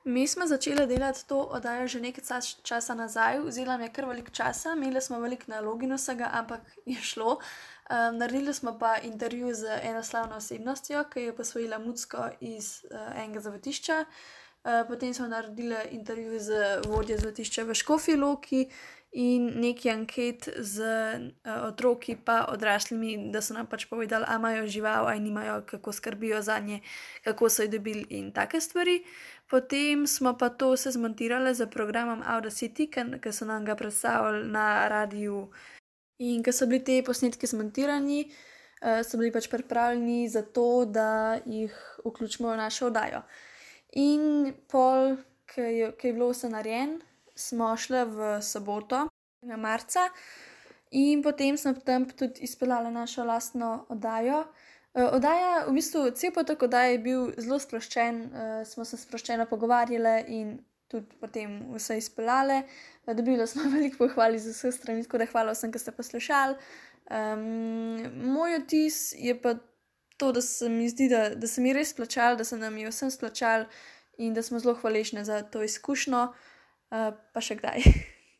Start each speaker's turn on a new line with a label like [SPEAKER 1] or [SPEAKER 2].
[SPEAKER 1] Mi smo začeli delati to oddajo že nekaj časa nazaj, vzela nam je kar veliko časa, imeli smo veliko nalog in vsega, ampak je šlo. Naredili smo pa intervju z eno slavno osebnostjo, ki je posvojila mucko iz enega zavetišča. Potem smo naredili intervju z vodjo zavetišča v Škofji Loki in nekaj anket z otroki pa odraslimi, da so nam pač povedali, a imajo žival, a nimajo, kako skrbijo zanje, kako so jih dobili in take stvari. Potem smo pa to se zmontirali z programom Audacity, ki so nam ga predstavili na radiju. In ko so bili te posnetki zmontirani, so bili pač pripravljeni za to, da jih vključimo v našo oddajo. In pol, ko je bilo vse narejeno, smo šli v soboto, marca, in potem smo tam tudi izpeljali našo lastno oddajo. Oddaja, v bistvu, cel potek oddaje je bil zelo sproščen, smo se sproščeno pogovarjali in tudi potem vse izpeljali. Dobili smo veliko pohval iz vseh strani, tako da hvala vsem, ki ste poslušali. Moj vtis je pa to, da se mi zdi, da se mi res splačalo, da se nam je vsem splačalo in da smo zelo hvaležni za to izkušnjo, pa še kdaj.